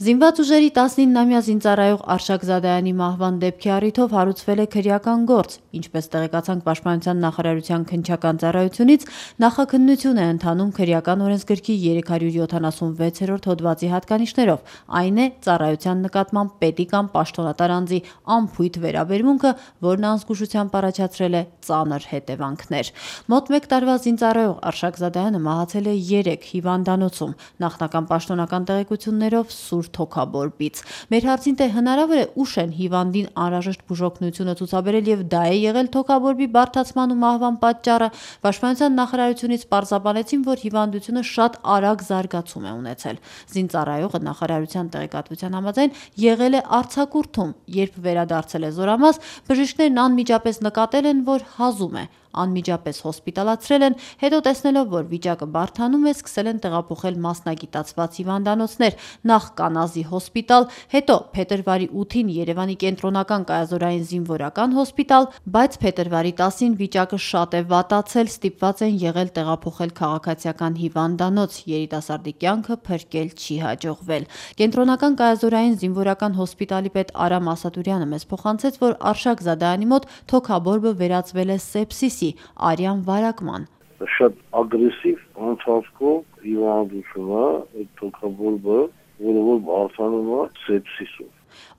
Զինված ուժերի 19-ամյա զինծառայող Արշակ Զադայանի մահվան դեպքի առիթով հարուցվել է քրեական գործ, ինչպես տեղեկացանք Պաշտպանության նախարարության քննչական ծառայությունից, նախաքննություն է ընթանում քրեական օրենսգրքի 376-րդ հոդվածի հատկանիշներով, այն է ծառայության նկատմամբ պետի կամ պաշտոնատար անձի անփույթ վերաբերմունքը, որն անզգուշությամբ առաջացրել է ծանր հետևանքներ։ Մոտ 1 տարվա զինծառայող Արշակ Զադայանը մահացել է 3 հիվանդանոցում, նախնական պաշտոնական տեղեկություններով սուր թոքաբորբից։ Մեր հարցին թե հնարավոր է ուշ են հիվանդին անհրաժեշտ բուժօգնությունը ցուցաբերել եւ դա է եղել թոքաբորբի բարդացման ու մահվան պատճառը, Պաշտպանության նախարարությունից պարզաբանեցին, որ հիվանդությունը շատ արագ զարգացում է ունեցել։ Զինծառայողը նախարարության տեղեկատվության համաձայն եղել է արձակուրդում, երբ վերադարձել է Զորամաս, բժիշկներն անմիջապես նկատել են, որ հազում է։ Անմիջապես հոսպիտալացրել են, հետո տեսնելով, որ վիճակը բարդանում է, սկսել են տեղափոխել մասնագիտացված հիվանդանոցներ, նախ Կանազի հոսպիտալ, հետո փետրվարի 8-ին Երևանի կենտրոնական կայազորային զինվորական հոսպիտալ, բայց փետրվարի 10-ին վիճակը շատ է վատացել, ստիպված են եղել տեղափոխել քաղաքացիական հիվանդանոց, երիտասարդի կյանքը փրկել չի հաջողվել։ Կենտրոնական կայազորային զինվորական հոսպիտալի պետ Արամ Ասատուրյանը մեզ փոխանցեց, որ Արշակ Զադայանի մոտ թոքաբորբը վերածվել է սեպսիսի, արյան վարակման։ Շատ ագրեսիվ անցածքով հիվանդություն է, այդ թոքաբորբը, որը բարձրանում է սեպսիսով։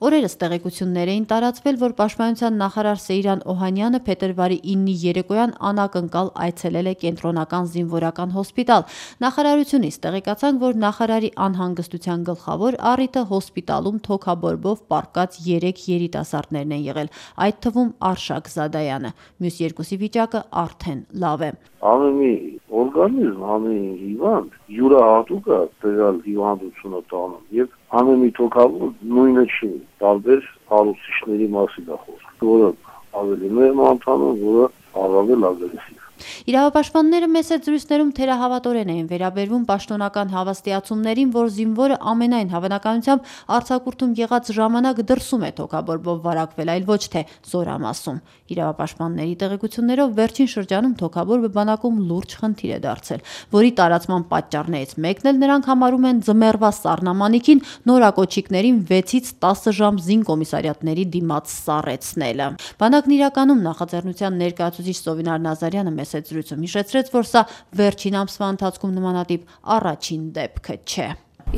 Օրերս տեղեկություններ էին տարածվել, որ Պաշտպանության նախարար Սեյրան Օհանյանը փետրվարի 9-ի երեկոյան անակնկալ այցելել է կենտրոնական զինվորական հոսպիտալ։ Նախարարությունից տեղեկացանք, որ նախարարի անհանգստության գլխավոր առիթը հոսպիտալում թոքաբորբով պառկած 3 երիտասարդներն են եղել, այդ թվում Արշակ Զադայանը։ Մյուս երկուսի վիճակը արդեն լավ է։ Ամենի օրգանիզմ, ամեն հիվանդ յուրահատուկ է տեղալ հիվանդությունը տանում եւ ամենի թոքաբորբը նույնը չի, տարբեր հարուցիչների մասին է խոսքը, որը ավելի մեղմ անդամ, որը առավել ագրեսիվ։ Իրավապաշտպանները մեծ զրույցներում թերահավատորեն էին վերաբերվում պաշտոնական հավաստիացումներին, որ զինվորը ամենայն հավանականությամբ արձակուրդում եղած ժամանակ դրսում է թոքաբորբով վարակվել, այլ ոչ թե Զորամասում։ Իրավապաշտպանների տեղեկություններով վերջին շրջանում թոքաբորբը բանակում լուրջ խնդիր է դարձել, որի տարածման պատճառներից մեկն էլ նրանք համարում են ձմեռվա սառնամանիքին նորակոչիկներին 6-ից 10 ժամ զինկոմիսարիատների դիմաց սառեցնելը։ Բանակն իրականում նախաձեռնության ներկայացուցիչ Սովինար Նազարյանը մեծ զրույցում հիշեցրեց, որ սա վերջին ամսվա ընթացքում նմանատիպ առաջին դեպքը չէ։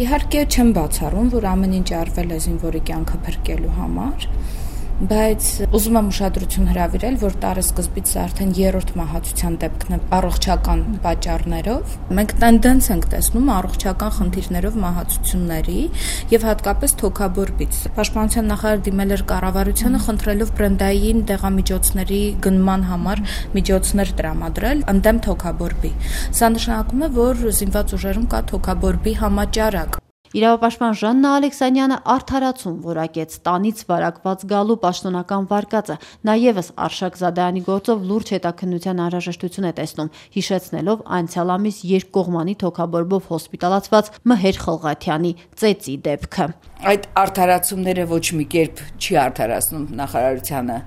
Իհարկե չեմ բացառում, որ ամեն ինչ արվել է զինվորի կյանքը փրկելու համար, բայց ուզում եմ ուշադրություն հրավիրել, որ տարեսկզբից արդեն 3-րդ մահացության դեպքն է առողջական պատճառներով։ Մենք տենդենց ենք տեսնում առողջական խնդիրներով մահացությունների եւ հատկապես թոքաբորբից։ Պաշտպանության նախարար դիմել էր կառավարությանը խնդրելով բրենդային դեղամիջոցների գնման համար միջոցներ տրամադրել ընդդեմ թոքաբորբի։ Սա նշանակում է, որ զինված ուժերում կա թոքաբորբի համաճարակ։ Իրավապաշտպան Ժաննա Ալեքսանյանը արդարացում որակեց տանից վարակված գալու պաշտոնական վարկածը, նաև Արշակ Զադայանի գործով լուրջ հետաքննության անհրաժեշտություն է տեսնում, հիշեցնելով անցյալ ամիս երկկողմանի թոքաբորբով հոսպիտալացված Մհեր Խլղաթյանի ծեծի դեպքը։ Այդ արդարացումները ոչ մի կերպ չի արդարացնում նախարարությանը,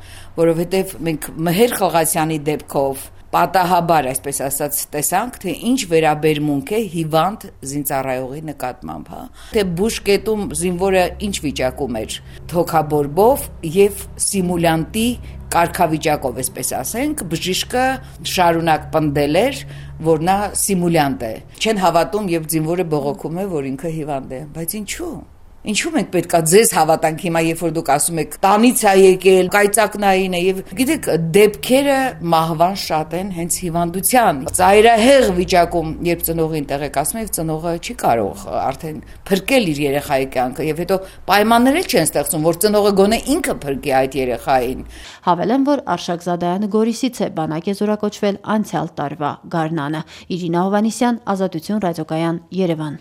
որովհետև մենք Մհեր Խլղաթյանի դեպքով պատահաբար, այսպես ասած, տեսանք, թե ինչ վերաբերմունք է հիվանդ զինծառայողի նկատմամբ, թե բուժկետում զինվորը ինչ վիճակում էր թոքաբորբով եւ սիմուլյանտի կարգավիճակով, այսպես ասենք, բժիշկը շարունակ պնդել էր, որ նա սիմուլյանտ է։ Չեն հավատում, եւ զինվորը բողոքում է, որ ինքը հիվանդ է, բայց ինչու՞։ Ինչու մենք պետքա ձեզ հավատանք հիմա, երբ որ դուք ասում եք տանից է եկել, կայծակնային է եւ գիտեք դեպքերը մահվան շատ են հենց հիվանդության։ Ծայրահեղ վիճակում, երբ ծնողին տեղեկացնում եւ ծնողը չի կարող արդեն փրկել իր երեխայի կյանքը եւ հետո պայմաններ չեն ստեղծում, որ ծնողը գոնե ինքը փրկի այդ երեխային։ Հավելեմ, որ Արշակ Զադայանը Գորիսից է, բանակ է զորակոչվել անցյալ տարվա գարնանը։ Իրինա Հովհաննիսյան, Ազատություն ռադիոկայան, Երևան։